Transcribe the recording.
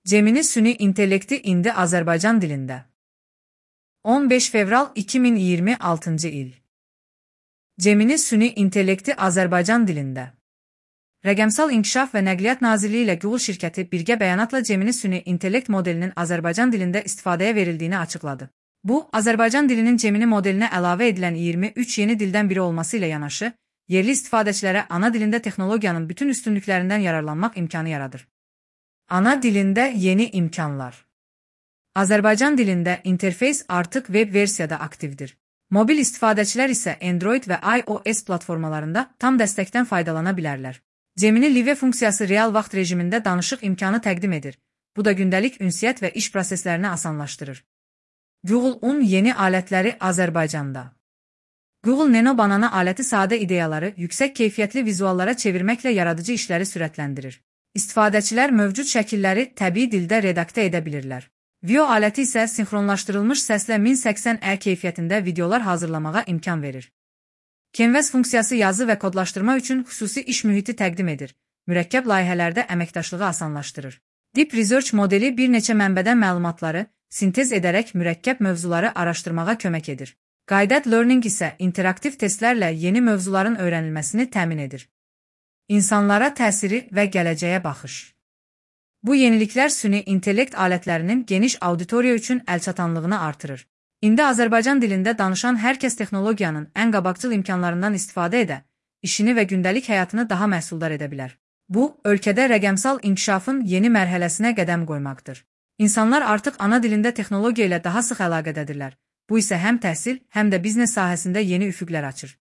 Gemini süni intellekti indi Azərbaycan dilində. 15 fevral 2026 il. Gemini süni intellekti Azərbaycan dilində. Rəqəmsal İnkişaf və Nəqliyyat Nazirliyi ilə Google şirkəti birgə bəyanatla Gemini süni intellekt modelinin Azərbaycan dilində istifadəyə verildiyini açıqladı. Bu, Azərbaycan dilinin Gemini modelinə əlavə edilən 23 yeni dildən biri olması ilə yanaşı, yerli istifadəçilərə ana dilində texnologiyanın bütün üstünlüklərindən yararlanmaq imkanı yaradır. Ana dilində yeni imkanlar. Azərbaycan dilində interfeys artıq web versiyada aktivdir. Mobil istifadəçilər isə Android və iOS platformalarında tam dəstəkdən faydalana bilərlər. Gemini Live funksiyası real vaxt rejimində danışıq imkanı təqdim edir. Bu da gündəlik ünsiyyət və iş proseslərini asanlaşdırır. Google Un yeni alətləri Azərbaycanda. Google Nano Banana aləti sadə ideyaları yüksək keyfiyyətli vizuallara çevirməklə yaradıcı işləri sürətləndirir. İstifadəçilər mövcud şəkilləri təbii dildə redaktə edə bilirlər. Vio aləti isə sinxronlaşdırılmış səslə 1080p keyfiyyətində videolar hazırlamağa imkan verir. Canvas funksiyası yazı və kodlaşdırma üçün xüsusi iş mühiti təqdim edir. Mürəkkəb layihələrdə əməkdaşlığı asanlaşdırır. Deep Research modeli bir neçə mənbədən məlumatları sintez edərək mürəkkəb mövzuları araşdırmağa kömək edir. Guided Learning isə interaktiv testlərlə yeni mövzuların öyrənilməsini təmin edir. İnsanlara təsiri və gələcəyə baxış. Bu yeniliklər süni intellekt alətlərinin geniş auditoriya üçün əlçatanlığını artırır. İndi Azərbaycan dilində danışan hər kəs texnologiyanın ən qabaqcıl imkanlarından istifadə edə, işini və gündəlik həyatını daha məhsuldar edə bilər. Bu, ölkədə rəqəmsal inkişafın yeni mərhələsinə qədəm qoymaqdır. İnsanlar artıq ana dilində texnologiya ilə daha sıx əlaqədədirlər. Bu isə həm təhsil, həm də biznes sahəsində yeni üfüqlər açır.